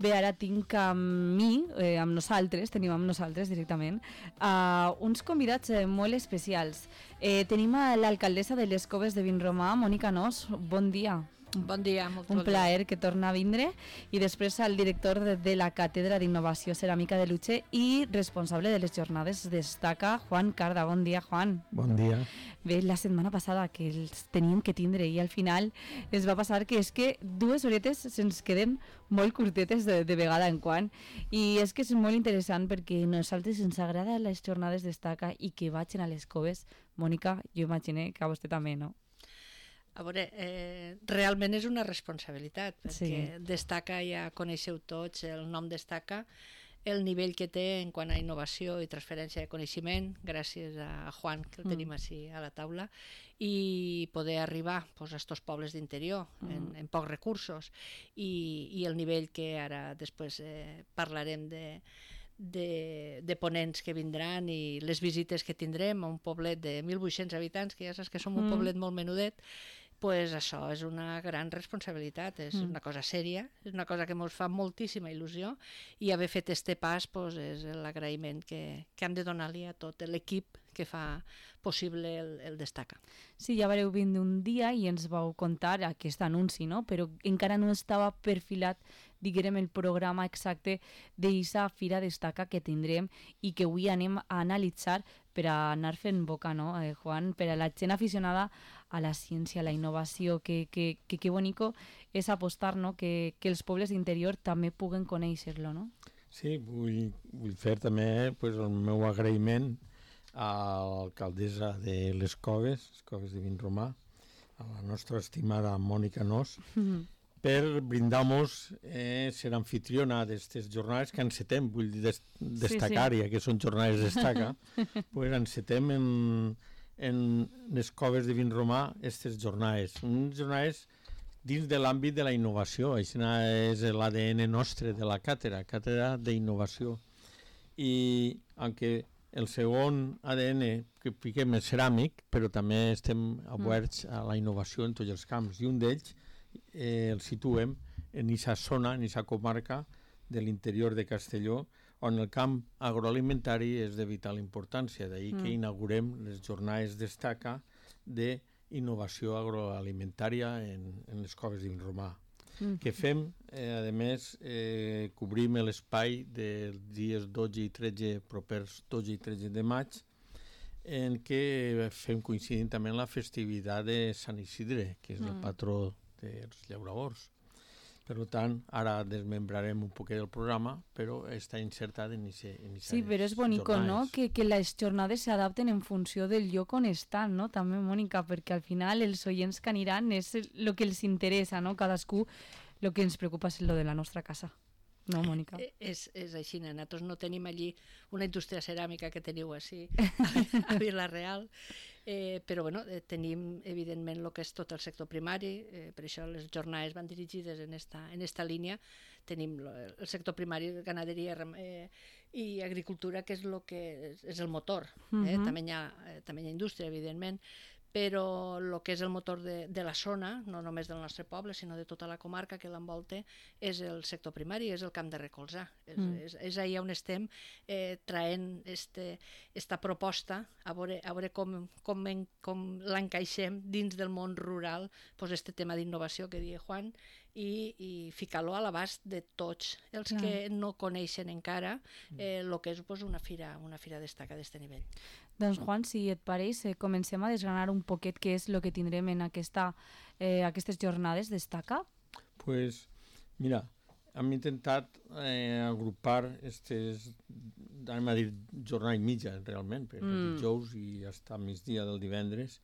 Bé, ara tinc amb mi, tenim amb nosaltres directament, uns convidats molt especials. Tenim a l'alcaldessa de les Coves de Vinromà, Mònica Nos. Bon dia. Bon dia, molt Un plaer que torna a vindre. I després al director de la Càtedra d'Innovació Ceràmica de Lutxe i responsable de les jornades Destaca, Juan Carda. Bon dia, Juan. Bon dia. Bé, la setmana passada que els teníem que tindre i al final es va passar que és que 2 horetes se'ns queden molt curtetes de vegada en quan, i és que és molt interessant perquè a nosaltres ens agrada les jornades Destaca i que vagin a les coves. Mònica, jo imagino que a vostè també, no? A veure, realment és una responsabilitat, perquè Sí. Destaca, ja coneixeu tots el nom Destaca, el nivell que té en quant a innovació i transferència de coneixement, gràcies a Juan, que el tenim així a la taula, i poder arribar a estos pobles d'interior en pocs recursos, i el nivell que ara després parlarem de ponents que vindran i les visites que tindrem a un poblet de 1.800 habitants, que ja saps que som un poblet molt menudet, pues això és una gran responsabilitat, és una cosa sèria, és una cosa que ens fa moltíssima il·lusió, i haver fet este pas és l'agraïment que hem de donar-li a tot l'equip que fa possible el Destaca. Sí, ja vareu vindre un dia i ens vau contar aquest anunci, no? Però encara no estava perfilat, diguem, el programa exacte d'aquesta Fira Destaca que tindrem i que avui anem a analitzar per a anar fent boca, no, Juan? Per a la gent aficionada a la ciència, a la innovació, que bonico és apostar, no? Que els pobles d'interior també puguen conèixer-lo, no? Sí, vull fer també el meu agraïment a l'alcaldessa de les Coves de Vinromà, a la nostra estimada Mònica Nos, per brindar-nos ser anfitriona d'aquestes jornades que encetem, vull dir destacar, ja que són jornades Destaca, pues encetem en les Coves de Vinromà aquestes jornades. Unes jornades dins de l'àmbit de la innovació, això és l'ADN nostre de la càtedra d'innovació. I aunque el segon ADN que fiquem és ceràmic, però també estem oberts a la innovació en tots els camps, i un d'ells el situem en aquesta zona, en aquesta comarca de l'interior de Castelló, on el camp agroalimentari és de vital importància, d'ahir que inaugurem les jornades Destaca d'innovació agroalimentària en les Coves de Vinromà. Que fem, a més, cobrim l'espai dels dies 12 i 13, propers 12 i 13 de maig, en què fem coincidint també la festivitat de Sant Isidre, que és el patró dels llauradors. Per tant, ara desmembrarem un poquet del programa, però està insertat en aquestes Sí, però és bonico, no?, que les jornades s'adapten en funció del lloc on estan, no?, també, Mònica, perquè al final els oients que aniran és el que els interessa, no?, cadascú, el que ens preocupa és lo de la nostra casa. No, Mònica? És així, nosaltres no tenim allí una indústria ceràmica que teniu així a Vila-real, però bueno, tenim evidentment el que és tot el sector primari, per això les jornades van dirigides en esta línia. Tenim el sector primari, ganaderia i agricultura, que és el motor. També hi ha indústria, evidentment, però el que és el motor de la zona, no només del nostre poble, sinó de tota la comarca que l'envolta, és el sector primari, és el camp de recolzar. És allà on estem traient esta proposta, a veure com l'encaixem dins del món rural, este tema d'innovació que deia Juan, i ficar-lo a l'abast de tots els que no coneixen encara el que és una fira Destaca d'aquest nivell. Doncs, Juan, si et pareix, comencem a desgranar un poquet què és el que tindrem en aquestes jornades Destaca. Pues, mira, hem intentat agrupar aquestes, anem a dir, jornada i mitja, realment, perquè el dijous i fins al migdia del divendres,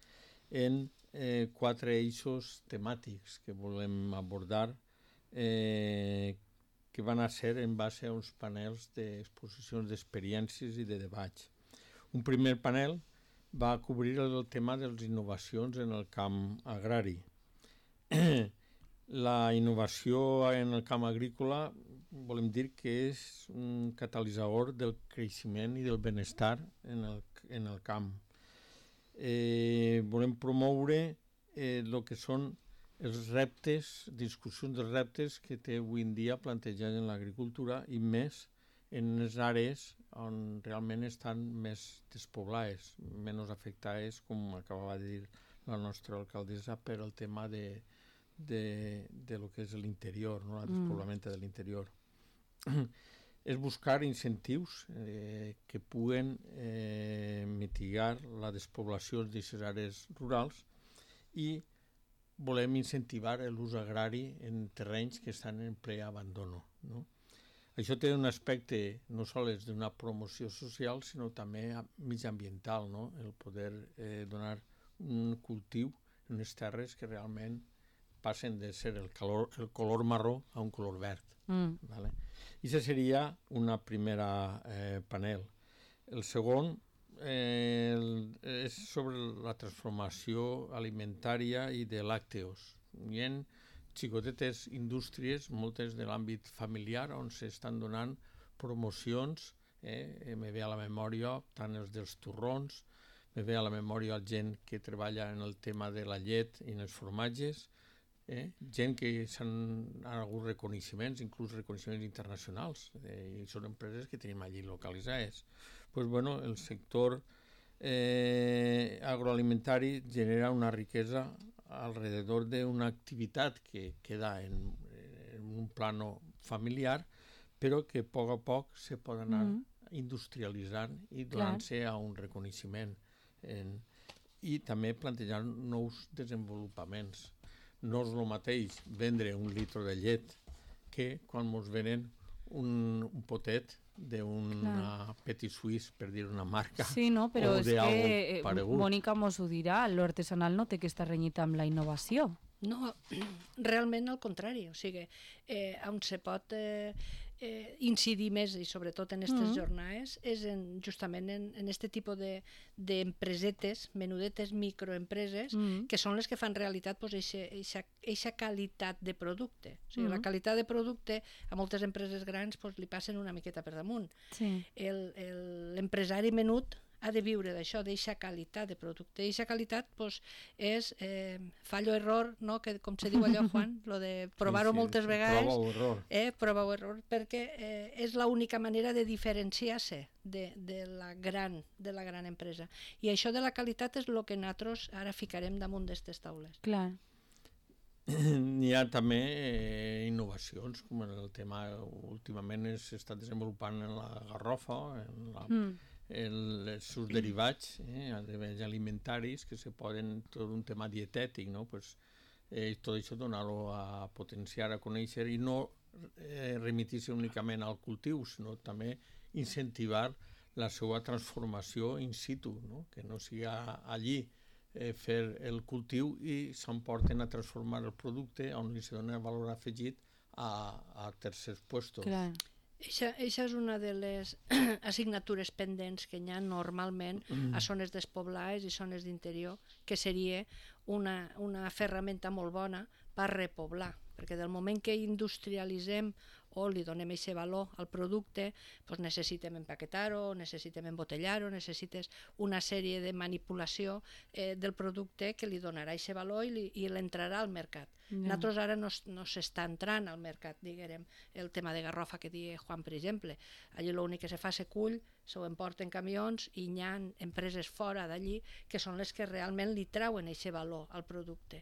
en 4 eixos temàtics que volem abordar, que van a ser en base a uns panels d'exposicions d'experiències i de debats. Un primer panel va cobrir el tema de les innovacions en el camp agrari. La innovació en el camp agrícola volem dir que és un catalitzador del creixement i del benestar en el camp. Volem promoure el que són els reptes, discussions dels reptes que té avui en dia plantejats en l'agricultura i més en les àrees on realment estan més despoblades, menys afectades, com acabava de dir la nostra alcaldessa, per el tema de lo que és l'interior, no? El despoblament de l'interior. És buscar incentius que puguen mitigar la despoblació d'aquestes àrees rurals i volem incentivar l'ús agrari en terrenys que estan en ple abandono, no? Això té un aspecte no sols d'una promoció social, sinó també mitjambiental, no? El poder donar un cultiu en unes terres que realment passen de ser el color marró a un color verd. Vale? I això seria una primera panel. El segon és sobre la transformació alimentària i de làcteos. Hi ha xicotetes indústries, moltes de l'àmbit familiar, on s'estan donant promocions, me ve a la memòria tant els dels torrons, me ve a la memòria gent que treballa en el tema de la llet i en els formatges, gent que s'han hagut reconeixements, inclús reconeixements internacionals, i són empreses que tenim allí localitzades. Pues, bueno, el sector agroalimentari genera una riquesa alrededor d'una activitat que queda en un plano familiar, però que a poc se pot anar industrialitzant i donant-se a un reconeixement. I també plantejar nous desenvolupaments. No és el mateix vendre un litre de llet que quan ens venen un potet d'una Petit Suisse, per dir una marca. Sí, no, però és que Mònica mos ho dirà, l'artesanal no té que estar renyit amb la innovació. No, realment al contrari, o sigui, on se pot incidir més, i sobretot en aquestes jornades, és justament en aquest tipus d'empresetes, menudetes, microempreses, que són les que fan realitat eixa qualitat de producte. O sigui, la qualitat de producte a moltes empreses grans li passen una miqueta per damunt. L'empresari menut ha de viure d'això, d'eixa qualitat de producte. Eixa qualitat és fallo-error, no? Que, com se diu allò, Juan, lo de provar-ho moltes vegades. Prova o error. Prova o error, perquè és l'única manera de diferenciar-se de la gran empresa. I això de la qualitat és el que nosaltres ara ficarem damunt d'aquestes taules. Clar. Hi ha també innovacions, com el tema últimament s'està desenvolupant en la garrofa, els seus derivats, alimentaris, que se poden, tot un tema dietètic, no? Pues, tot això donar-ho a potenciar, a conèixer, i no remitir-se únicament al cultiu, sinó també incentivar la seva transformació in situ, no? Que no sigui allí fer el cultiu i s'emporten a transformar el producte on li se dona valor afegit a tercers puestos. Clar. Eixa és una de les assignatures pendents que hi ha normalment a zones despoblades i zones d'interior, que seria una ferramenta molt bona per repoblar, perquè del moment que industrialitzem o li donem aquest valor al producte, doncs necessitem empaquetar-ho, necessitem embotellar-ho, necessites una sèrie de manipulació del producte que li donarà aquest valor i l'entrarà al mercat. Nosaltres ara no s'està entrant al mercat, diguem, el tema de garrofa que deia Juan, per exemple. Allí l'únic que se fa se cull, s'ho emporten camions i hi ha empreses fora d'allí que són les que realment li trauen aquest valor al producte.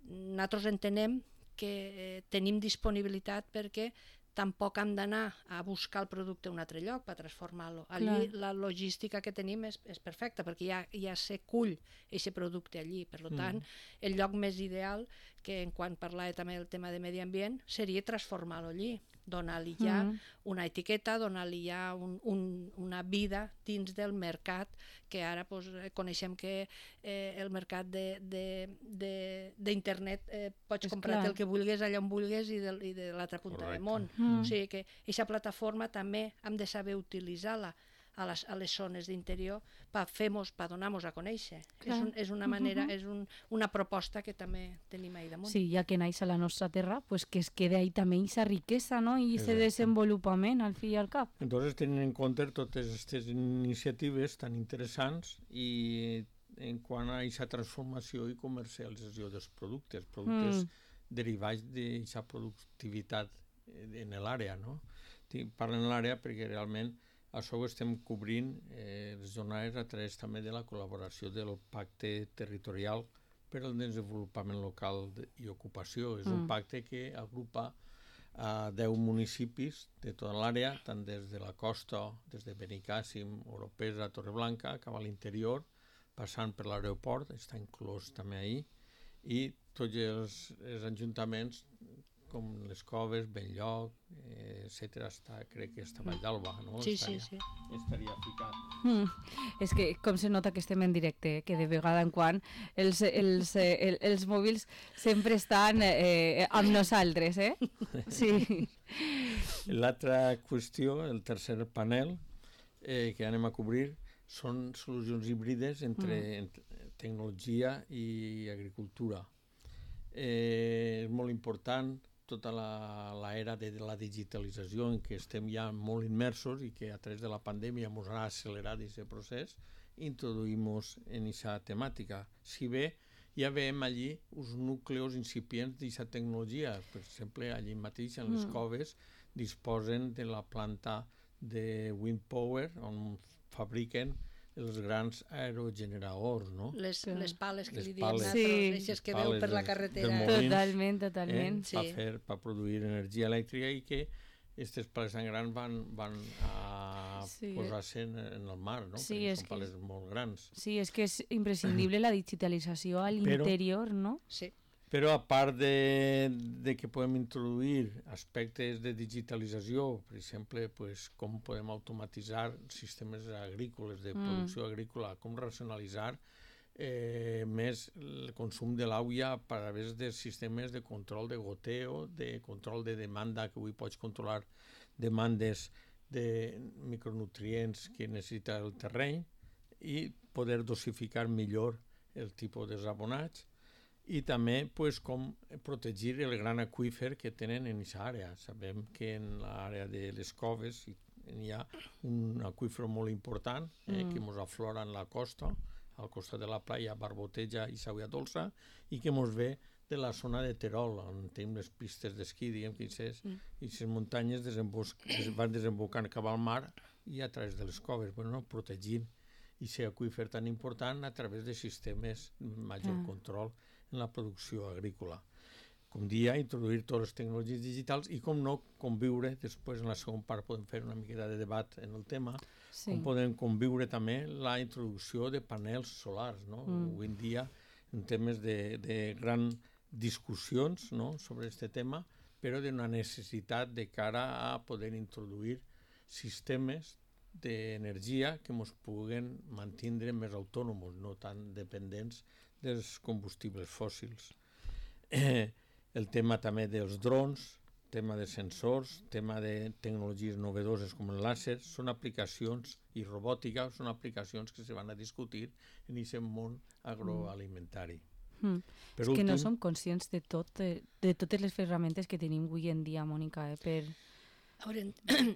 Nosaltres entenem que tenim disponibilitat perquè tampoc hem d'anar a buscar el producte a un altre lloc per transformar-lo. Allí la logística que tenim és perfecta, perquè ja se cull aquest producte allí. Per tant, el lloc més ideal, que en quan parlava també del tema de medi ambient, seria transformar-lo allí, donar-li ja una etiqueta, donar-li ja una vida dins del mercat, que ara coneixem que el mercat d'internet pots comprar el que vulguis allà on vulguis i de l'altra punta del món. O sigui que aquesta plataforma també hem de saber utilitzar-la a les zones d'interior per donar-nos a conèixer. És una manera, és una proposta que també tenim ahí damunt. Sí, ja que naix a la nostra terra, pues que es quede ahí també aquesta riquesa, no? I aquest desenvolupament, al fi i al cap. Entonces, tenint en compte totes aquestes iniciatives tan interessants i en quant a aquesta transformació i comercialització dels productes derivats d'aquesta productivitat en l'àrea, no? Parlo en l'àrea perquè realment això ho estem cobrint les jornades a través també de la col·laboració del pacte territorial per al desenvolupament local i ocupació. És un pacte que agrupa a 10 municipis de tota l'àrea, tant des de la costa, des de Benicàssim, Oropesa, Torreblanca, cap a l'interior, passant per l'aeroport, està inclòs també ahir, i tots els ajuntaments com les Coves, Benlloc, etc. Crec que està Vall d'Alba, no? Sí. Estaria ficat. És que com se nota que estem en directe, que de vegada en quan els mòbils sempre estan amb nosaltres, Sí. L'altra qüestió, el tercer panel que anem a cobrir, són solucions híbrides entre tecnologia i agricultura. És molt important tota l'era de la digitalització en què estem ja molt immersos i que a través de la pandèmia ens ha accelerat aquest procés, introduïm-nos en aquesta temàtica. Si bé ja veiem allí uns núcleos incipients d'aquesta tecnologia. Per exemple, allí mateix, en les Coves, disposen de la planta de wind power on fabriquen els grans aerogeneradors, no? Les pales que li diem pales. nosaltres, les que veu per la carretera. Molins, Totalment. Per produir energia elèctrica i que aquestes pales tan grans van a posar-se en el mar, no? Sí, perquè són pales molt grans. Sí, és que és imprescindible la digitalització a l'interior, no? Sí. Però a part de que podem introduir aspectes de digitalització, per exemple, com podem automatitzar sistemes agrícoles, de producció agrícola, com racionalitzar més el consum de l'aigua a través de sistemes de control de goteo, de control de demanda, que avui pots controlar demandes de micronutrients que necessita el terreny i poder dosificar millor el tipus de abonats. I també com protegir el gran aqüífer que tenen en aquesta àrea. Sabem que en l'àrea de les Coves hi ha un aqüífer molt important que ens aflora en la costa, al costat de la playa Barboteja i Sauia Dolça, i que ens ve de la zona de Terol, on tenim les pistes d'esquí, diguem que aquestes muntanyes van desembocant cap al mar i a través de les coves, protegint aquest aqüífer tan important a través de sistemes de major control en la producció agrícola. Com dia, introduir totes les tecnologies digitals i, com no, conviure, després en la segona part podem fer una miqueta de debat en el tema, com podem conviure també la introducció de panels solars, no? Avui en dia, en temes de gran discussions, no?, sobre aquest tema, però d'una necessitat de cara a poder introduir sistemes d'energia que ens puguen mantenir més autònoms, no tan dependents dels combustibles fòssils. El tema també dels drons, tema de sensors, tema de tecnologies novedoses com el làser, són aplicacions, i robòtica, són aplicacions que se van a discutir en aquest món agroalimentari. És que no som conscients de totes les ferramentes que tenim avui en dia, Mònica, per... A veure,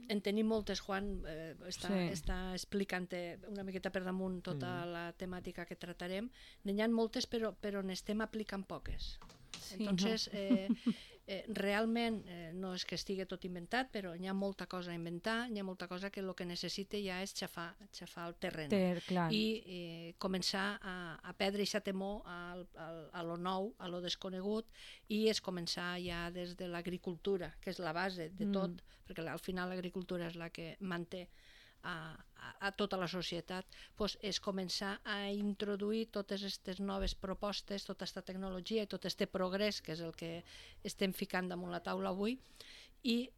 en tenim moltes, Juan està explicant una miqueta per damunt tota la temàtica que tratarem. N'hi ha moltes, però n'estem aplicant poques. Entonces, realment no és que estigui tot inventat, però hi ha molta cosa a inventar, hi ha molta cosa que el que necessita ja és xafar el terreny i començar a perdre aquesta temor a lo nou, a lo desconegut, i és començar ja des de l'agricultura, que és la base de tot, perquè al final l'agricultura és la que manté a tota la societat, és començar a introduir totes aquestes noves propostes, tota aquesta tecnologia i tot aquest progrés, que és el que estem ficant damunt la taula avui, i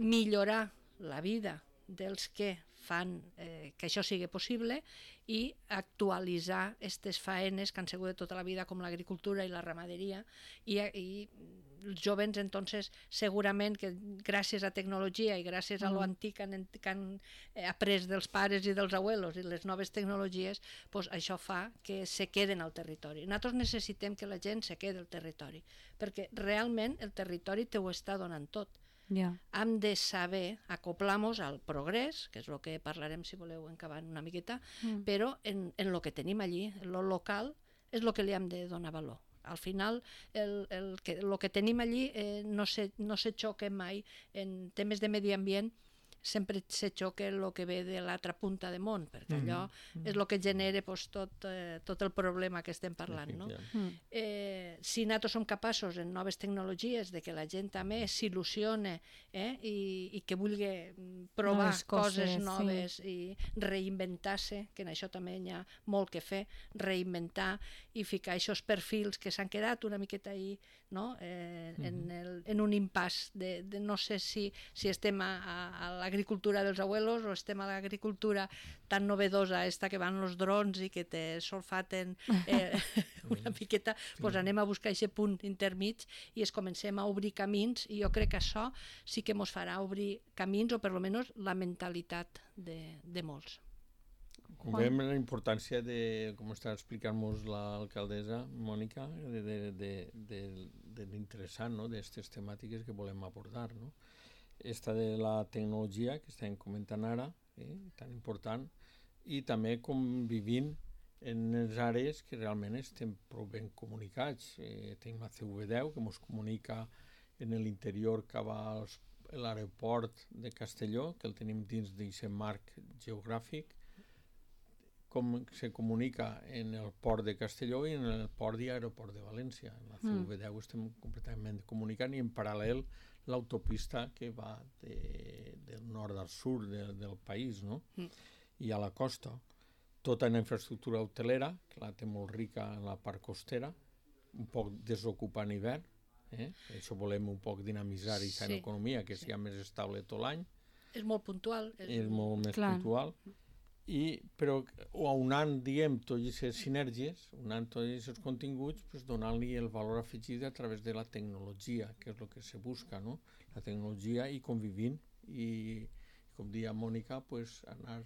millorar la vida dels que fan que això sigui possible i actualitzar aquestes faenes que han sigut de tota la vida, com l'agricultura i la ramaderia, i els jovens, entonces, segurament que gràcies a tecnologia i gràcies a lo antic que han après dels pares i dels abuelos i les noves tecnologies, això fa que se queden al territori. Nosaltres necessitem que la gent se quedi al territori, perquè realment el territori te ho està donant tot. Ja. hem de saber acoplar-nos al progrés, que és el que parlarem si voleu encabant una miqueta, però en el que tenim allí, el local, és el que li hem de donar valor. Al final, el que tenim allí no se xoca mai en temes de medi ambient, sempre se xoca el que ve de l'altra punta de món, perquè allò és el que genera tot el problema que estem parlant. No? Si nosaltres som capaços en noves tecnologies de que la gent també s'il·lusione i que vulgui provar coses noves i reinventar-se, que en això també hi ha molt que fer, reinventar i ficar aquests perfils que s'han quedat una miqueta ahí, no? En un impàs de no sé si estem a l'agricultura dels abuelos o estem a l'agricultura tan novedosa esta que van els drons i que te solfaten una miqueta, doncs anem a buscar aquest punt intermig i es comencem a obrir camins, i jo crec que això sí que ens farà obrir camins, o per almenys la mentalitat de molts. Com veiem la importància de, com està explicant-nos l'alcaldessa Mònica, de l'interessant, no?, d'aquestes temàtiques que volem abordar, no? Esta de la tecnologia que estem comentant ara, tan important, i també com vivint en les àrees que realment estem prou ben comunicats. Tenim la CV10 que ens comunica en l'interior cap a l'aeroport de Castelló, que el tenim dins d'aquest marc geogràfic, com se comunica en el port de Castelló i en el port i aeroport de València. En la CV10 estem completament comunicant, i en paral·lel l'autopista que va del nord al sud del país, no? I a la costa. Tota una infraestructura hotelera, que la té molt rica en la part costera, un poc desocupada en hivern, això volem un poc dinamitzar i en economia, que sigui més estable tot l'any. És molt puntual. És molt més puntual. Però unant, diguem, totes aquestes sinergies, unant tots aquests continguts, donant-li el valor afegit a través de la tecnologia, que és el que se busca, no? La tecnologia, i convivint, i com deia Mònica, anar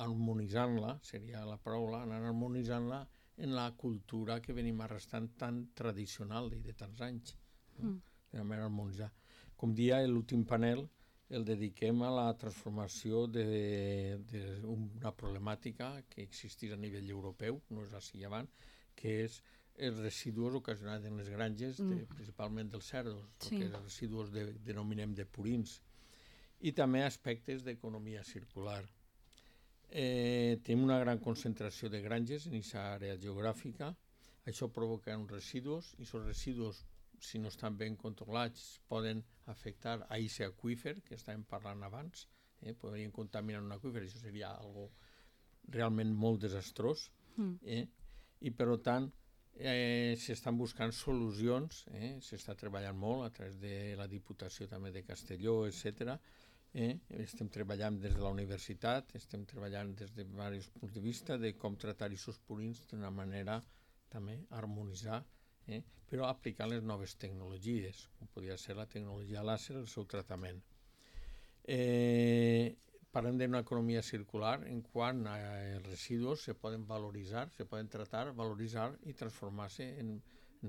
harmonitzant-la, seria la paraula, anar harmonitzant-la en la cultura que venim arrastrant tan tradicional de tants anys. De manera harmonitzar. Com deia, l'últim panel el dediquem a la transformació d'una problemàtica que existeix a nivell europeu, no és així abans, que és els residus ocasionats en les granges, principalment dels cerdos, que els residus denominem de purins, i també aspectes d'economia circular. Tenim una gran concentració de granges en aquesta àrea geogràfica, això provoca uns residus, i aquests residus, si no estan ben controlats, poden afectar a aquest aqüífer que estàvem parlant abans, podrien contaminar un aqüífer, això seria algo realment molt desastrós, i per tant s'estan buscant solucions, s'està treballant molt a través de la Diputació també de Castelló, etc. Estem treballant des de la universitat, estem treballant des de diversos punts de vista de com tratar aquests purins d'una manera també harmonitzar, però aplicant les noves tecnologies, com podria ser la tecnologia làser, el seu tractament. Parlem d'una economia circular en quant als residus se poden valoritzar, se poden tratar, valoritzar i transformar-se en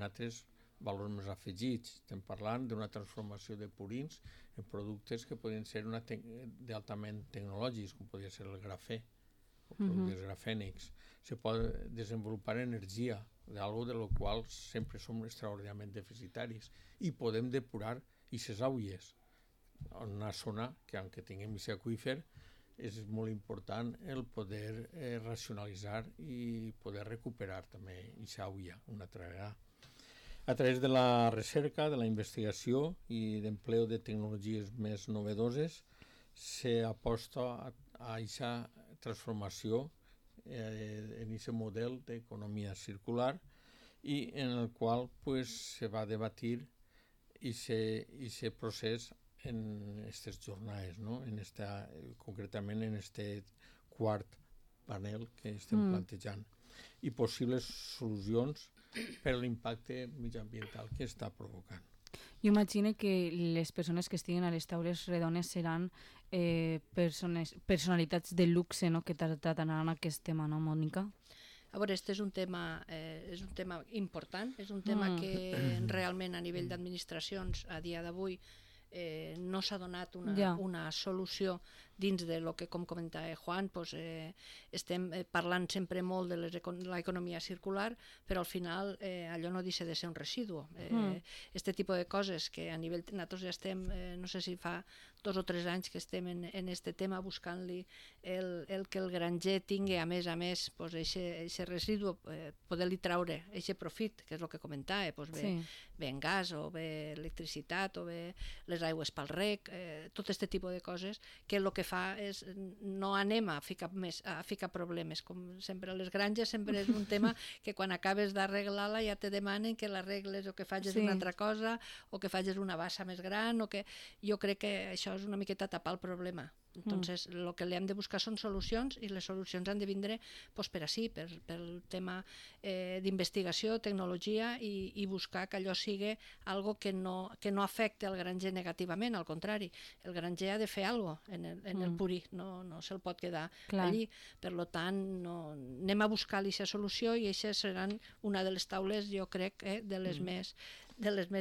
altres valors més afegits. Estem parlant d'una transformació de purins en productes que poden ser d'altament tecnològics, com podria ser el grafè, o productes grafènics. Se pot desenvolupar energia, d'algo de lo qual sempre som extraordinàriament deficitaris, i podem depurar aquestes aigües en una zona que, aunque tinguem aquest aqüífer, és molt important el poder racionalitzar i poder recuperar també aquesta aigua una altra vegada. A través de la recerca, de la investigació i d'empleo de tecnologies més novedoses, s'aposta a aquesta transformació en aquest model d'economia circular, i en el qual se va debatir aquest procés en aquestes jornades, no? Concretament en aquest quart panel que estem plantejant, i possibles solucions per l'impacte mediambiental que està provocant. Jo imagino que les persones que estiguin a les taules redones seran personalitats de luxe, no?, que trataran aquest tema, no, Mònica? A veure, este és un tema important, és un tema que realment a nivell d'administracions a dia d'avui no s'ha donat Ja. una solució dins de lo que, com comentava Juan, doncs, estem parlant sempre molt de l'economia circular, però al final allò no deixa de ser un residu. Este tipus de coses que a nivell... Nosaltres ja estem, no sé si fa 2 o 3 anys que estem en este tema buscant-li el que el granger tingui, a més, doncs, aquest residu, poder-li traure aquest profit, que és el que comentava, doncs, bé en gas, o bé electricitat, o bé les aigües pel rec, tot aquest tipus de coses, que el que fa és no anem a ficar problemes. Com sempre, les granges sempre és un tema que quan acabes d'arreglar-la ja te demanen que l'arregles o que facis una altra cosa, o que facis una bassa més gran, o que... Jo crec que això és una miqueta tapar el problema. Entonces, el que li hem de buscar són solucions, i les solucions han de vindre per així, pel tema d'investigació, tecnologia, i buscar que allò sigui algo que no afecte al granger negativament, al contrari. El granger ha de fer alguna cosa en el purí, no se'l pot quedar allí. Per tant, anem a buscar-li aquesta solució, i aquestes seran una de les taules, jo crec, de les més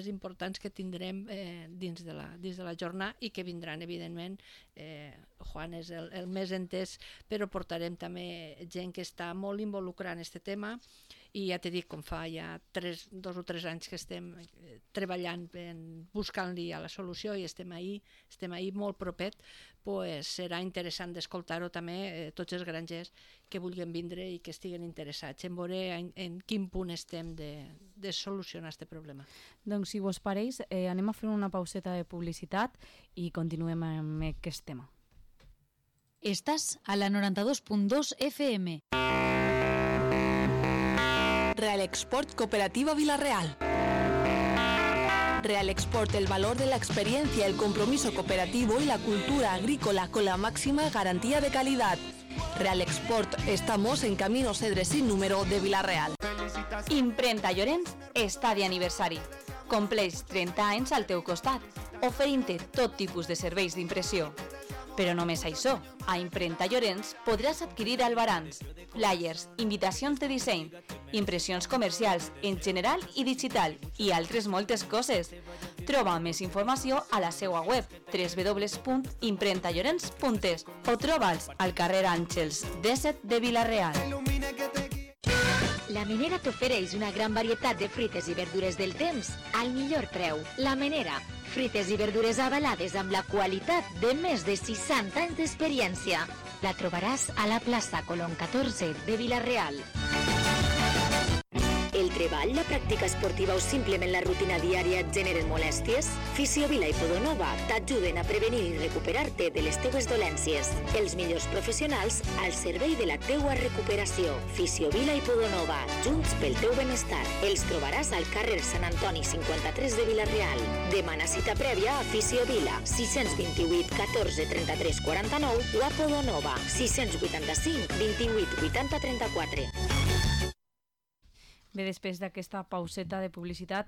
importants que tindrem dins de la jornada, i que vindran, evidentment. Juan és el més entès, però portarem també gent que està molt involucrada en aquest tema, i ja t'he dit, com fa ja 2 o 3 anys que estem treballant buscant-li a la solució, i estem ahí molt propet, pues serà interessant d'escoltar-ho també tots els grangers que vulguin vindre i que estiguen interessats en veure en quin punt estem de solucionar aquest problema. Doncs, si vos pareix, anem a fer una pauseta de publicitat i continuem amb aquest tema. Estàs a la 92.2 FM. Real Export Cooperativa Villarreal. Real Export, el valor de la experiencia, el compromiso cooperativo y la cultura agrícola con la máxima garantía de calidad. Real Export, estamos en Camino Cedre sin número de Villarreal. Imprenta Llorenç està d'aniversari. Compleix 30 anys al teu costat, oferint-te tot tipus de serveis d'impressió. Però només això, a Imprenta Llorenç podràs adquirir albarans, flyers, invitacions de disseny, impressions comercials en general i digital, i altres moltes coses. Troba més informació a la seva web www.imprentallorenç.es o troba'ls al carrer Àngels 17 de Vila-real. La Menera t'ofereix una gran varietat de fruites i verdures del temps al millor preu. La Menera, fruites i verdures avalades amb la qualitat de més de 60 anys d'experiència. La trobaràs a la plaça Colón 14 de Vila-real. El treball, la pràctica esportiva o simplement la rutina diària et generen molèsties? Fisiovila i Podonova t'ajuden a prevenir i recuperar-te de les teues dolències. Els millors professionals al servei de la teua recuperació. Fisiovila i Podonova, junts pel teu benestar. Els trobaràs al carrer Sant Antoni 53 de Vila-real. Demana cita prèvia a Fisiovila 628 14 33 49 o a Podonova 685 28 80 34. Bé, després d'aquesta pauseta de publicitat,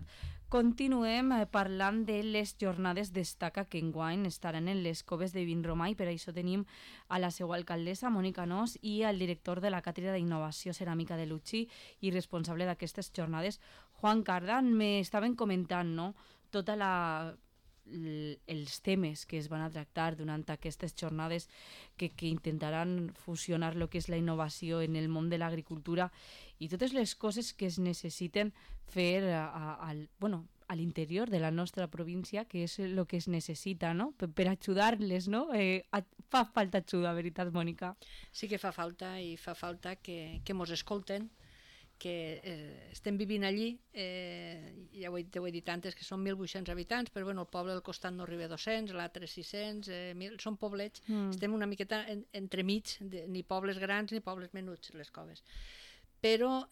continuem parlant de les jornades Destaca, que enguany estaran en les coves de Vinromà, i per això tenim a la seva alcaldessa, Mònica Nos, i al director de la Càtedra d'Innovació Ceràmica de l'UCI i responsable d'aquestes jornades, Juan Cardan. M'estaven comentant, no?, tota els temes que es van a tractar durant aquestes jornades que intentaran fusionar el que és la innovació en el món de l'agricultura i totes les coses que es necessiten fer a l'interior de la nostra província, que és el que es necessita, no?, per ajudar-les, no? Fa falta ajuda, veritat, Mònica? Sí que fa falta, i fa falta que mos escolten, que estem vivint allí, ja ho he dit antes, que són 1.800 habitants, però bueno, el poble del costat no arriba a 200, l'altre 600, són poblets, estem una miqueta entremig, ni pobles grans ni pobles menuts, les coves. Però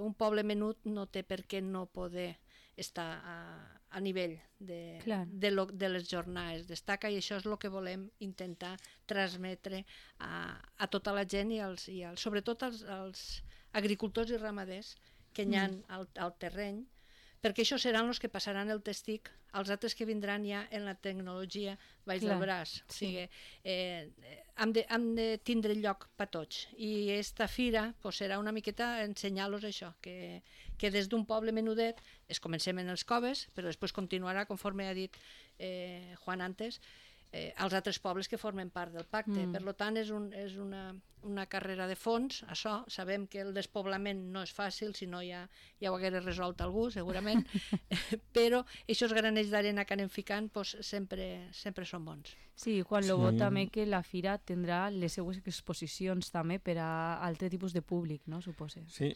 un poble menut no té per què no poder estar a nivell de les jornades Destaca, i això és el que volem intentar transmetre a tota la gent, i sobretot als agricultors i ramaders que hi ha al terreny, perquè això seran els que passaran el testic als altres que vindran ja en la tecnologia baix Clar, del braç. O sí. sigui, hem de tindre lloc per tots. I esta fira pues, serà una miqueta ensenyar-los això, que des d'un poble menudet comencem en els coves, però després continuarà, conforme ha dit Juan antes, als altres pobles que formen part del pacte. Per tant, és una carrera de fons, això. Sabem que el despoblament no és fàcil, si no ja ho hagués resolt algú, segurament, però aquests granells d'arena que anem ficant pues, sempre són bons. Sí, Juan Lobo, també que la fira tindrà les seues exposicions també per a altre tipus de públic, no, supose? Sí,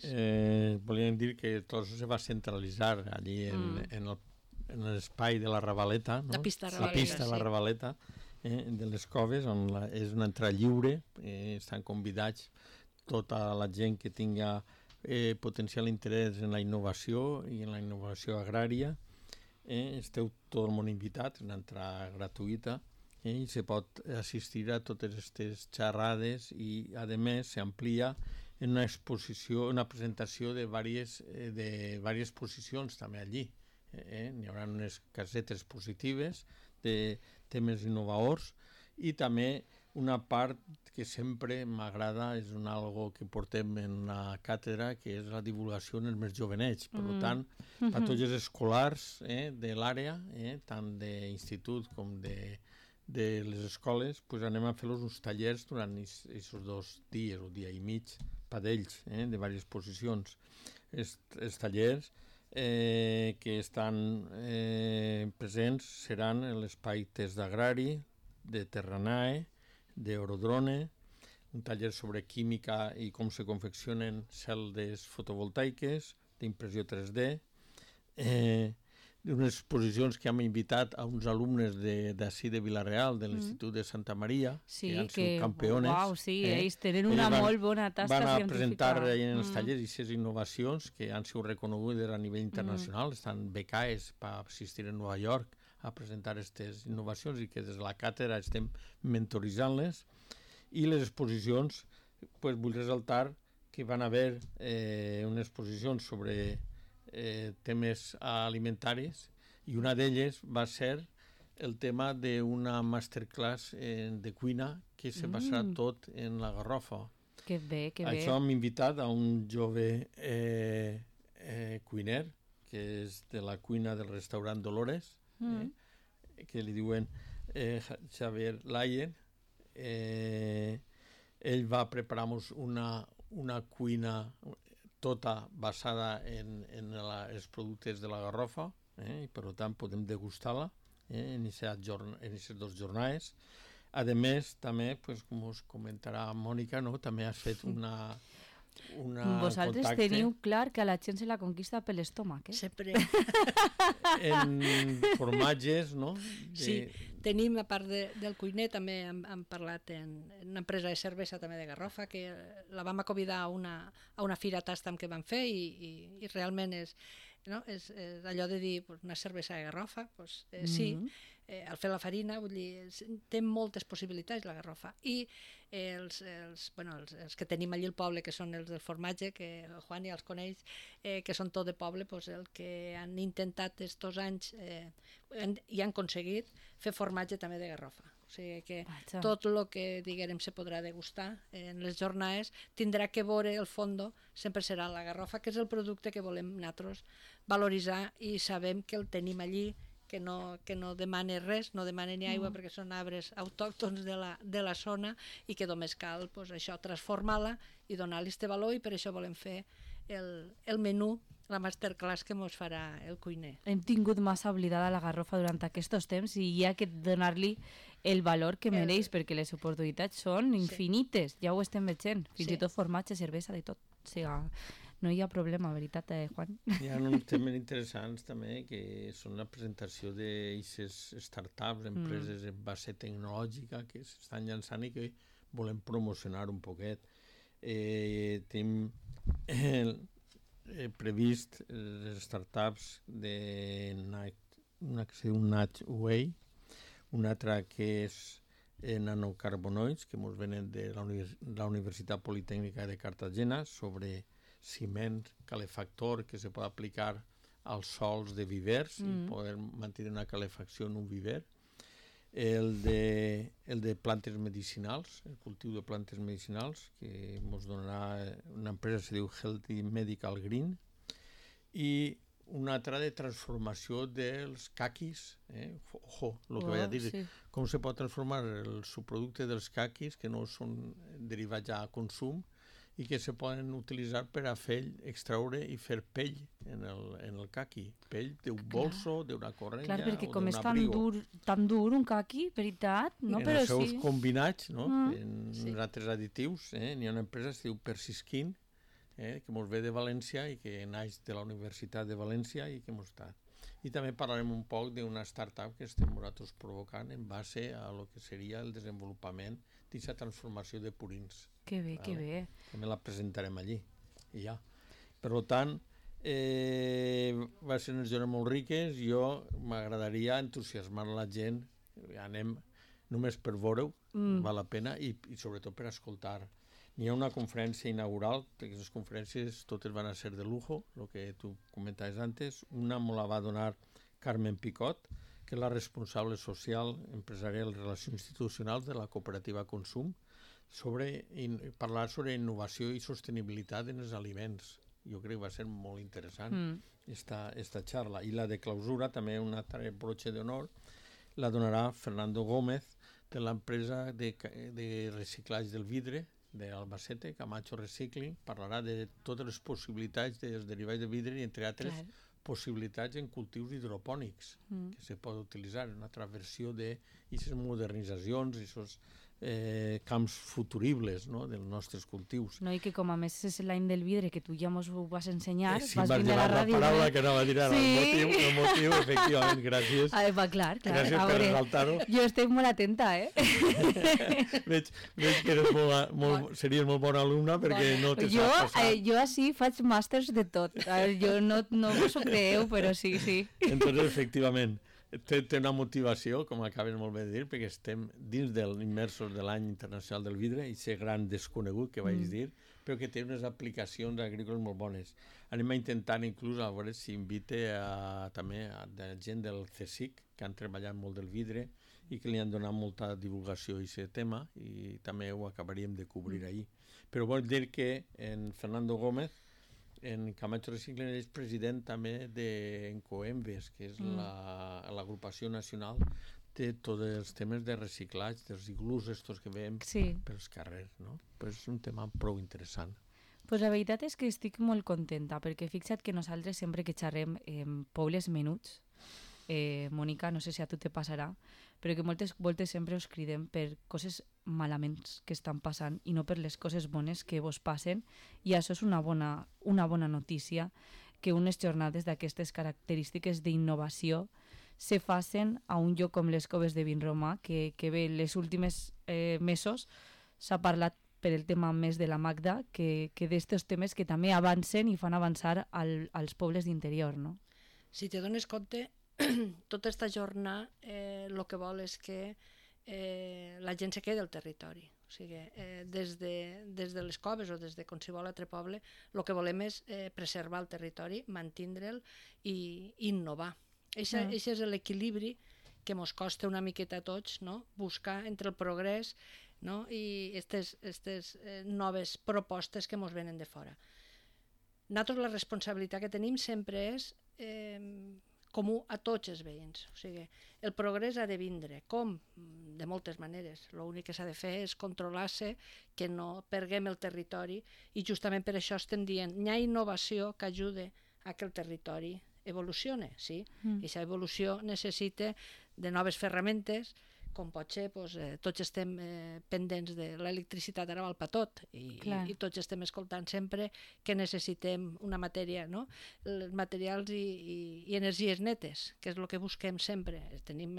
volíem dir que tot això se va centralitzar allí en l'espai de la Ravaleta, no? La pista de la Ravaleta, de les coves, on és una entrada lliure, estan convidats tota la gent que tinga potencial interès en la innovació i en la innovació agrària. Esteu tot el món invitat, una entrada gratuïta, i se pot assistir a totes aquestes xerrades i, a més, s'amplia en una exposició, una presentació de diverses exposicions també allí. N'hi haurà unes casetes positives de temes innovadors i també una part que sempre m'agrada, és algo que portem en la càtedra, que és la divulgació en els més jovenets. Per tant, a tots els escolars de l'àrea, tant d'institut com de les escoles, pues anem a fer-los uns tallers durant aquests 2 dies o dia i mig per d'ells, de diverses exposicions. Els tallers que estan presents seran en l'espai test d'agrari, de Terranae, d'Eurodrone, un taller sobre química i com se confeccionen celdes fotovoltaiques, d'impressió 3D, unes exposicions que hem invitat a uns alumnes d'ací de Vila-real, de l'Institut de Santa Maria, sí, que han sigut campeones. Uau, sí, ells tenen una molt bona tasca científica. Van a presentar en els tallers aquestes innovacions que han sigut reconegudes a nivell internacional, estan becades per assistir a Nova York a presentar aquestes innovacions i que des de la càtedra estem mentoritzant-les. I les exposicions, pues, vull ressaltar que van haver unes exposicions sobre temes alimentaris i una d'elles va ser el tema d'una masterclass de cuina que se basarà tot en la garrofa. Que bé, que bé. Això hem invitat a un jove cuiner que és de la cuina del restaurant Dolores, que li diuen Xavier Layer. Ell va preparar-nos una cuina tota basada en els productes de la garrofa, i per tant podem degustar-la en aquestes 2 jornades. A més, també, com us comentarà Mònica, també has fet una Vosaltres contacte. teniu clar que a la gent se la conquista per l'estómac, Sempre. En formatges, no? Sí, tenim, a part del cuiner, també hem parlat en una empresa de cervesa també de Garrofa, que la vam convidar a una fira tastam que vam fer i realment és allò de dir una cervesa de Garrofa, sí, al fer la farina, vull dir, té moltes possibilitats la Garrofa. I els que tenim allí al poble, que són els del formatge, que Juan ja els coneix, que són tot de poble, el que han intentat estos anys i han aconseguit fer formatge també de Garrofa. O sigui que tot el que diguem se podrà degustar en les jornades tindrà que veure el fondo, sempre serà la Garrofa, que és el producte que volem nosaltres valoritzar i sabem que el tenim allí, que no demana res, no demana ni aigua perquè són arbres autòctons de la zona i que només cal això, transformar-la i donar-li este valor, i per això volem fer el menú, la masterclass que ens farà el cuiner. Hem tingut massa oblidada la garrofa durant aquests temps i hi ha que donar-li el valor que mereix, perquè les oportunitats són infinites, ja ho estem veient, fins i tot formatge, cervesa, de tot. O sigui, no hi ha problema, veritat, Juan? Hi ha uns temes interessants també, que són la presentació d'aquestes startups, empreses en base tecnològica que s'estan llançant i que volem promocionar un poquet. Tenim previst les startups una que es diu Natch Way, una altra que és nanocarbonoids, que ens venen de la Universitat Politècnica de Cartagena, sobre ciment calefactor que se pot aplicar als sols de vivers i poder mantenir una calefacció en un viver. El de plantes medicinals, el cultiu de plantes medicinals, que ens donarà una empresa que es diu Healthy Medical Green, i una altra de transformació dels caquis, ojo, el que vaig a dir, com se pot transformar el subproducte dels caquis, que no són derivats ja a consum, i que se poden utilitzar per a extraure i fer pell en el caqui. Pell d'un bolso, d'una correnya o d'un abrigo. Clar, perquè com és tan dur un caqui, veritat, no? En els seus combinats, no? En altres additius, n'hi ha una empresa que es diu Persiskin, que ens ve de València i que naix de la Universitat de València i que ens està. I també parlarem un poc d'una startup que estem nosaltres provocant en base a lo que seria el desenvolupament d'aquesta transformació de purins. Que bé, que bé. També la presentarem allí. I ja. Per tant, va ser unes jornades molt riques. Jo m'agradaria entusiasmar la gent. Anem només per veure-ho, val la pena, i sobretot per escoltar. N'hi ha una conferència inaugural, aquestes conferències totes van a ser de lujo, el que tu comentaves antes. Una me la va donar Carmen Picot, que és la responsable social, empresarial i relacions institucionals de la cooperativa Consum, parlar sobre innovació i sostenibilitat en els aliments. Jo crec que va ser molt interessant esta xarra. I la de clausura, també un altre broche d'honor, la donarà Fernando Gómez, de l'empresa de reciclatge del vidre d'Albacete, Camacho Recycling. Parlarà de totes les possibilitats dels derivats de vidre i, entre altres, possibilitats en cultius hidropònics que se pot utilitzar, una altra versió d'aquestes modernitzacions i aquests camps futuribles, no?, dels nostres cultius. No, i que com a més és l'any del vidre, que tu ja ens ho vas ensenyar, sí, vas vindre a la ràdio. Sí, vas paraula que anava a dir ara, el motiu, efectivament, gràcies. Clar. Gràcies per resaltar-ho. Jo estic molt atenta, Veig que series molt bona alumna perquè no te saps passar. Jo així faig màsters de tot. Jo no us ho creeu, però sí. Entonces, efectivament, té una motivació, com acabes molt bé de dir, perquè estem dins immersos de l'any internacional del vidre, i ser gran desconegut, que vaig dir, però que té unes aplicacions agrícoles molt bones. Anem a intentar inclús, a veure si invite també a gent del CSIC, que han treballat molt del vidre i que li han donat molta divulgació a aquest tema, i també ho acabaríem de cobrir ahir. Però vol dir que en Fernando Gómez, en Camacho Recycling, és president també d'Encoembes, que és l'agrupació nacional de tots els temes de reciclatge, dels iglús estos que veiem pels carrers, no? Pues és un tema prou interessant. Pues la veritat és que estic molt contenta, perquè fixa't que nosaltres sempre que xerrem en pobles menuts, Mònica, no sé si a tu te passarà, però que moltes voltes sempre us cridem per coses malaments que estan passant i no per les coses bones que vos passen, i això és una bona notícia, que unes jornades d'aquestes característiques d'innovació se facin a un lloc com les Coves de Vinromà, que bé, les últimes mesos s'ha parlat per el tema més de la Magda, que d'estos temes que també avancen i fan avançar als pobles d'interior, no? Si te dones compte, tota aquesta jornada el que vol és que la gent se quedi al territori. O sigui, des de les coves o des de qualsevol altre poble, el que volem és preservar el territori, mantindre'l i innovar. Això és l'equilibri que ens costa una miqueta a tots, no? Buscar entre el progrés, no? I aquestes noves propostes que ens venen de fora. Nosaltres la responsabilitat que tenim sempre és comú a tots els veïns. O sigui, el progrés ha de vindre. Com? De moltes maneres. L'únic que s'ha de fer és controlar-se, que no perguem el territori, i justament per això estem dient hi ha innovació que ajude a que el territori evolucione, sí? I aquesta evolució necessita de noves ferramentes, com pot ser, tots estem pendents de l'electricitat, ara val per tot, i tots estem escoltant sempre que necessitem una matèria, no? Els materials i energies netes, que és el que busquem sempre. Tenim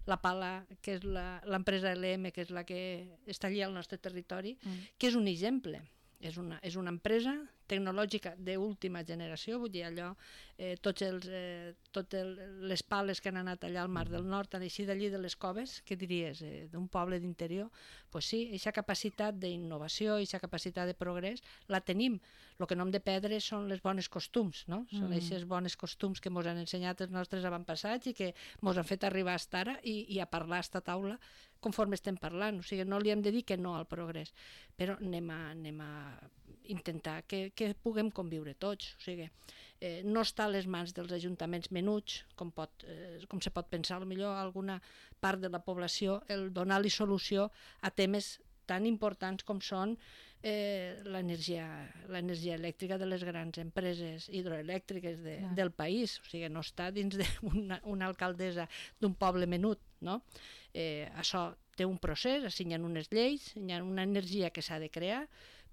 la Pala, que és l'empresa LM, que és la que està allà al nostre territori, que és un exemple. És una empresa tecnològica d'última generació, vull dir, allò, totes les pales que han anat allà al Mar del Nord, han eixit d'allí de les coves, què diries, d'un poble d'interior? Doncs sí, aquesta capacitat d'innovació, aquesta capacitat de progrés, la tenim. El que no hem de perdre són les bones costums, no? Són aquests bones costums que ens han ensenyat els nostres avantpassats i que ens han fet arribar a estar ara i a parlar a esta taula conforme estem parlant. O sigui, no li hem de dir que no al progrés, però anem a intentar que puguem conviure tots. O sigui, no està a les mans dels ajuntaments menuts, com se pot pensar, potser a alguna part de la població, el donar-li solució a temes tan importants com són l'energia elèctrica de les grans empreses hidroelèctriques del país. O sigui, no està dins d'una alcaldessa d'un poble menut, no? Això té un procés, hi ha unes lleis, hi ha una energia que s'ha de crear,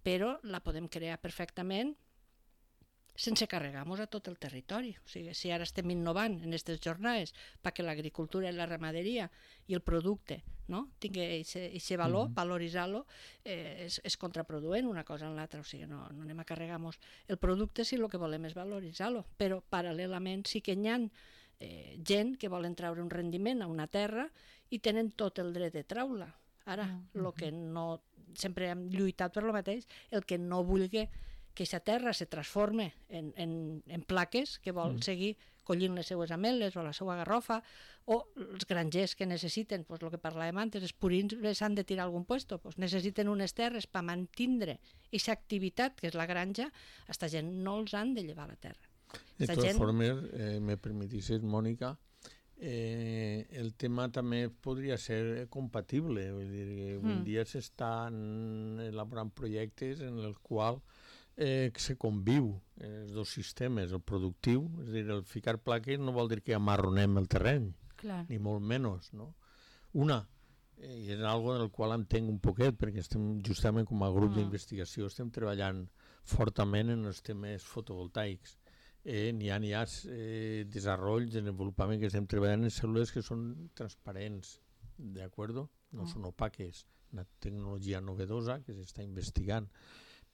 però la podem crear perfectament sense carregar-nos a tot el territori. O sigui, si ara estem innovant en aquestes jornades perquè l'agricultura i la ramaderia i el producte, no, tingui aquest valor, valoritzar-lo, és contraproduent una cosa en l'altra. O sigui, no anem a carregar-nos el producte si el que volem és valoritzar-lo, però paral·lelament sí que hi ha gent que volen treure un rendiment a una terra i tenen tot el dret de treure-la. Ara, el que no, sempre hem lluitat per lo mateix, el que no vulgui que aquesta terra se transforme en plaques, que vol seguir collint les seues ametlles o la seva garrofa, o els grangers que necessiten, el que parlàvem antes, els purins s'han de tirar a algun puesto, necessiten unes terres per mantindre aquesta activitat, que és la granja, aquesta gent no els han de llevar la terra. De totes formes, me permetissis, Mònica, el tema també podria ser compatible. Vull dir, un dia s'estan elaborant projectes en els quals se conviu els dos sistemes, el productiu, és a dir, el ficar plaques no vol dir que amarronem el terreny, ni molt menys, no? I és algo del qual entenc un poquet, perquè estem justament com a grup d'investigació, estem treballant fortament en els temes fotovoltaics. N'hi ha desenvolupament, desenvolupament que estem treballant en cèl·lules que són transparents, d'acord? No són opaques, una tecnologia novedosa que s'està investigant.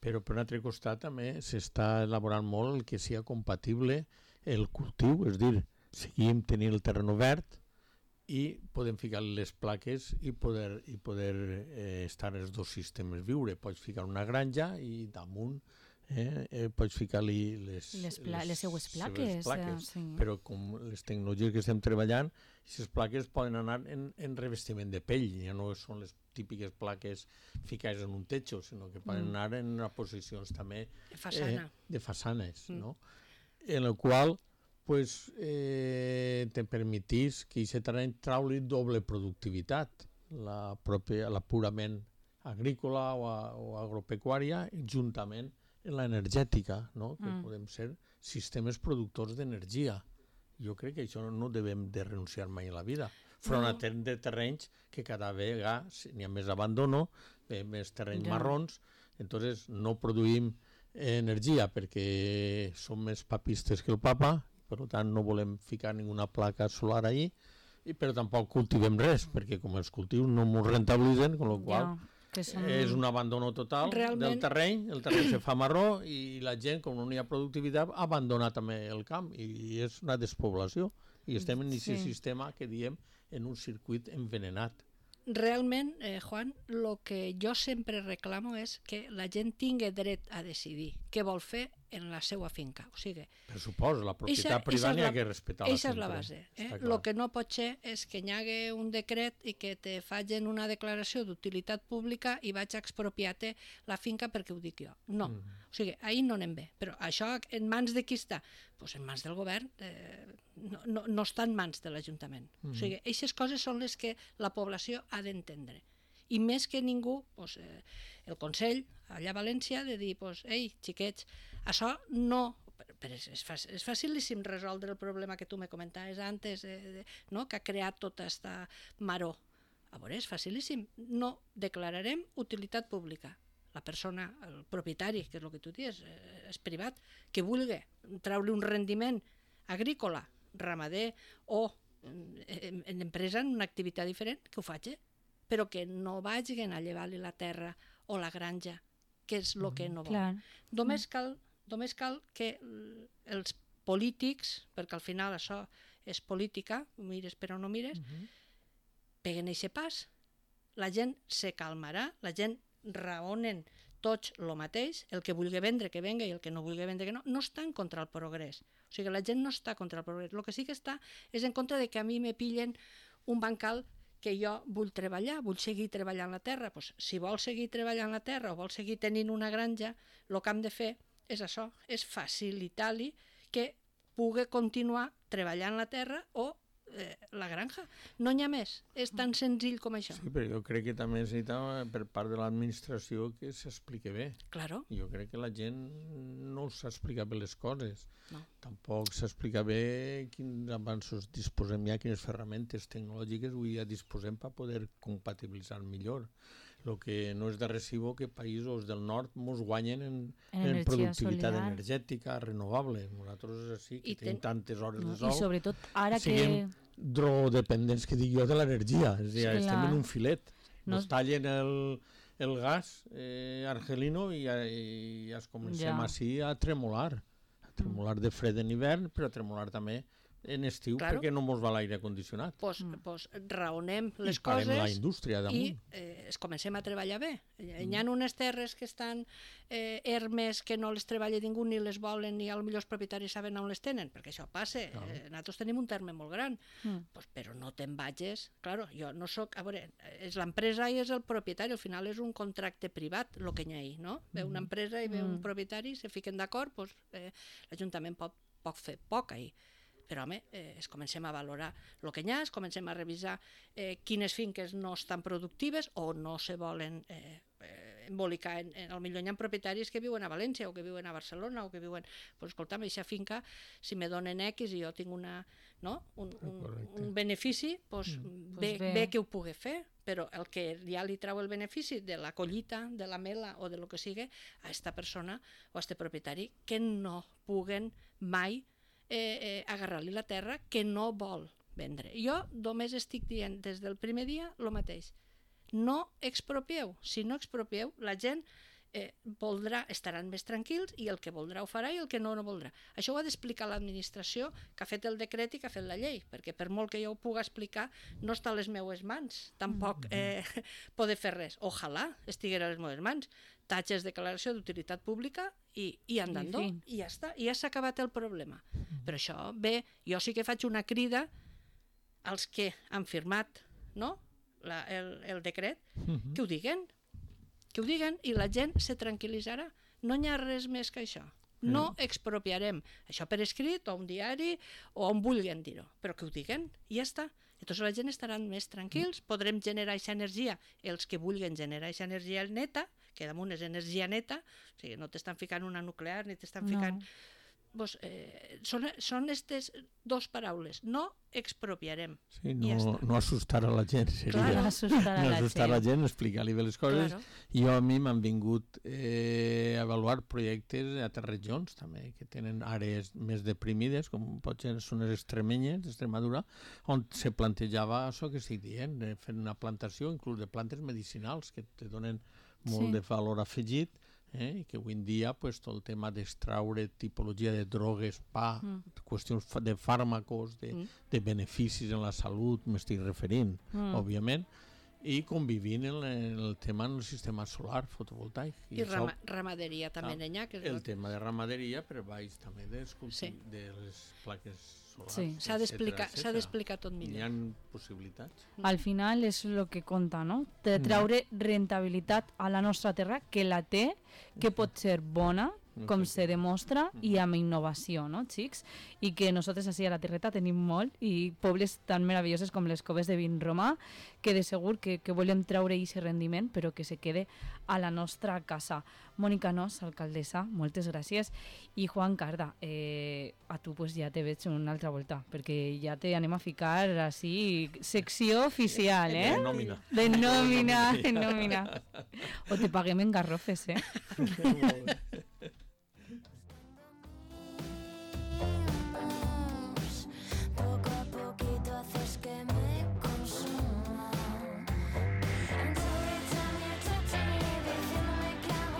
Però per un altre costat també s'està elaborant molt el que sigui compatible el cultiu, és a dir, seguim tenint el terreny obert i podem ficar les plaques i poder estar els dos sistemes viure. Pots ficar una granja i damunt pots ficar-li les seues plaques. Però com les tecnologies que estem treballant, aquestes plaques poden anar en revestiment de pell, ja no són les típiques plaques ficades en un techo, sinó que poden anar en posicions també de façanes, no? En el qual te permetís que aquest terreny trauli doble productivitat, la purament agrícola o agropecuària, juntament en l'energètica, no? Que podem ser sistemes productors d'energia. Jo crec que això no devem de renunciar mai a la vida. Front a de terrenys que cada vegada n'hi ha més abandono, més terrenys marrons, entonces no produïm energia perquè som més papistes que el papa, per tant no volem ficar ninguna placa solar allí, però tampoc cultivem res, perquè com els cultius no ens rentabilitzen, amb la qual és un abandono total del terreny, el terreny se fa marró i la gent, com no hi ha productivitat, abandona també el camp i és una despoblació i estem en aquest sistema que diem en un circuit envenenat. Realment, Juan, el que jo sempre reclamo és que la gent tingui dret a decidir què vol fer en la seva finca. O sigui, per suposo, la propietat privada n'hi ha que respetar-la sempre. Aquesta és la base. El que no pot ser és que hi hagi un decret i que te facin una declaració d'utilitat pública i vaig a expropiar-te la finca perquè ho dic jo. No. O sigui, ahir no anem bé. Però això en mans de qui està? Doncs en mans del govern. No està en mans de l'Ajuntament. O sigui, aquestes coses són les que la població ha d'entendre. I més que ningú, el Consell, allà a València, de dir, ei, xiquets, això no... Però és facilíssim resoldre el problema que tu me comentaves antes, que ha creat tota aquesta maror. A veure, és facilíssim. No declararem utilitat pública. La persona, el propietari, que és el que tu dius, és privat, que vulgui treure un rendiment agrícola, ramader o en empresa, en una activitat diferent, que ho faci, però que no vagin a llevar-li la terra o la granja, que és el que no vol. Només cal Només cal que els polítics, perquè al final això és política, mires però no mires, peguen aquest pas, la gent se calmarà, la gent raonen tots el mateix, el que vulgui vendre que venga i el que no vulgui vendre que no estan contra el progrés. O sigui, la gent no està contra el progrés. El que sí que està és en contra de que a mi me pillen un bancal que jo vull treballar, vull seguir treballant la terra. Pues, si vol seguir treballant la terra o vol seguir tenint una granja, el que hem de fer és això, és facilitar-li que pugui continuar treballant la terra o la granja. No n'hi ha més. És tan senzill com això. Sí, però jo crec que també necessita per part de l'administració que s'expliqui bé. Claro. Jo crec que la gent no s'explica bé les coses. No. Tampoc s'explica bé quins avanços disposem ja, quines ferramentes tecnològiques avui ja disposem per poder compatibilitzar millor. El que no és de recibo que països del nord ens guanyen en productivitat energètica renovable. Nosaltres sí que tenim tantes hores de sol. I sobretot ara que dependents, que dic jo, de l'energia. És a dir, estem en un filet. Ens tallen el gas argelino i ja es comencem així a tremolar. A tremolar de fred en hivern, però a tremolar també en estiu, perquè no ens va l'aire condicionat. Doncs raonem les coses la indústria damunt. I comencem a treballar bé. Hi ha unes terres que estan ermes, que no les treballa ningú ni les volen, ni potser els propietaris saben on les tenen, perquè això passa. Nosaltres tenim un terme molt gran, però no te'n vagis. Claro, jo no soc... A veure, és l'empresa i és el propietari, al final és un contracte privat el que hi ha ahí, no? Ve una empresa i ve un propietari, se fiquen d'acord, l'Ajuntament pot fer poc ahí. Però, home, comencem a valorar el que hi ha, comencem a revisar quines finques no estan productives o no se volen embolicar. Potser hi ha propietaris que viuen a València o que viuen a Barcelona o que viuen... Doncs, escolta'm, aquesta finca, si me donen X i jo tinc un benefici, bé que ho pugui fer, però el que ja li trau el benefici de la collita, de la mela o de lo que sigui, a aquesta persona o a aquest propietari que no puguen mai agarrar-li la terra que no vol vendre. Jo només estic dient des del primer dia el mateix. No expropieu. Si no expropieu, la gent estaran més tranquils i el que voldrà ho farà i el que no voldrà. Això ho ha d'explicar l'administració que ha fet el decret i que ha fet la llei, perquè per molt que jo ho pugui explicar no està a les meues mans, tampoc poder fer res. Ojalà estiguera a les meues mans. Tatges declaració d'utilitat pública i andando, i ja està, i ja s'ha acabat el problema. Però això, bé, jo sí que faig una crida als que han firmat el decret, que ho diguen i la gent se tranquil·litzarà. No hi ha res més que això. No expropiarem. Això per escrit, o un diari, o on vulguin dir-ho, però que ho diguen i ja està. Llavors la gent estaran més tranquils, podrem generar aquesta energia, els que vulguin generar aquesta energia neta, que damunt és energia neta, o sigui, no t'estan ficant una nuclear ni t'estan ficant... Són aquestes dues paraules. No expropiarem. Sí, no assustar a la gent seria. No assustar a la gent, explicar-li bé les coses. I a mi m'han vingut a avaluar projectes a altres regions també, que tenen àrees més deprimides, com pot ser són les extremenyes d'Extremadura, on se plantejava això que estic dient, fer una plantació inclús de plantes medicinals que te donen molt de valor afegit, i que avui en dia tot el tema d'extraure tipologia de drogues, qüestions de fàrmacos, de beneficis en la salut, m'estic referint, òbviament, i convivint en el tema del sistema solar fotovoltaic. I ramaderia també n'hi ha. El tema de ramaderia per baix també de les plaques solars. Sí, s'ha d'explicar tot millor. Hi ha possibilitats. Al final és el que compta, no? De treure rentabilitat a la nostra terra, que la té, que pot ser bona, com se demostra, i amb innovació, no, xics? I que nosaltres així a la Terreta tenim molt, i pobles tan meravelloses com les Coves de Vinromà, que de segur que volem treure aquest rendiment, però que se quede a la nostra casa. Mònica Nos, alcaldessa, moltes gràcies. I Juan Carda, a tu ja te veig una altra volta, perquè ja te anem a ficar així, secció oficial, De nòmina. De nòmina. O te paguem en garrofes, Molt bé.